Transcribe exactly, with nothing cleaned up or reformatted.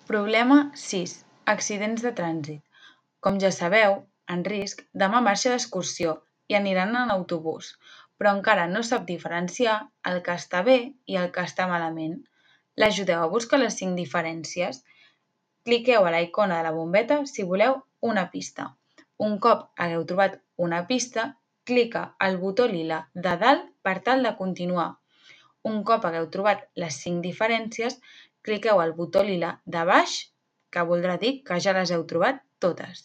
Problema sis. Accidents de trànsit. Com ja sabeu, en Risc demà marxa d'excursió i aniran en autobús, però encara no sap diferenciar el que està bé i el que està malament. L'ajudeu a buscar les cinc diferències? Cliqueu a la icona de la bombeta si voleu una pista. Un cop hagueu trobat una pista, clica al botó lila de dalt per tal de continuar. Un cop hagueu trobat les cinc diferències, cliqueu al botó lila de baix, que voldrà dir que ja les heu trobat totes.